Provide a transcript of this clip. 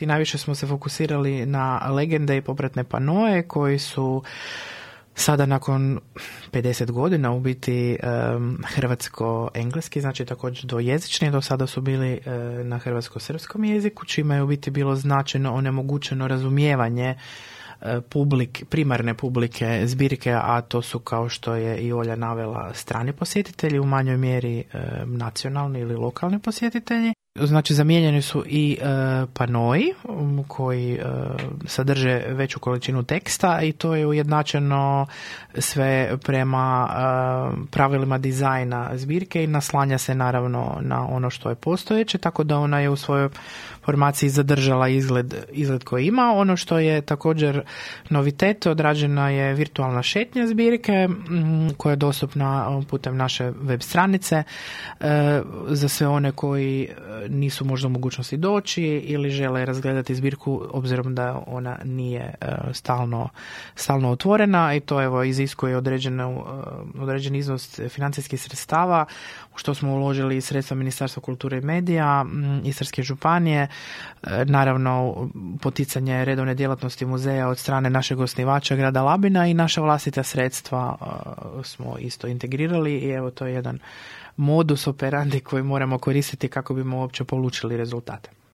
Najviše smo se fokusirali na legende i popratne panoe koji su sada nakon 50 godina u biti hrvatsko-engleski, znači također dvojezični, do sada su bili na hrvatsko-srpskom jeziku, čime je u biti bilo značajno onemogućeno razumijevanje primarne publike zbirke, a to su, kao što je i Olja navela, strani posjetitelji, u manjoj mjeri nacionalni ili lokalni posjetitelji. Znači, zamijenjeni su i panoji koji sadrže veću količinu teksta i to je ujednačeno sve prema pravilima dizajna zbirke i naslanja se naravno na ono što je postojeće, tako da ona je u svojoj formaciji zadržala izgled koji ima. Ono što je također novitet, odrađena je virtualna šetnja zbirke koja je dostupna putem naše web stranice za sve one koji nisu možda u mogućnosti doći ili žele razgledati zbirku obzirom da ona nije stalno otvorena, i to evo iziskuje određen iznos financijskih sredstava u što smo uložili sredstva Ministarstva kulture i medija, Istarske županije, naravno poticanje redovne djelatnosti muzeja od strane našeg osnivača grada Labina i naša vlastita sredstva smo isto integrirali i evo to je jedan modus operandi koji moramo koristiti kako bismo uopće polučili rezultate.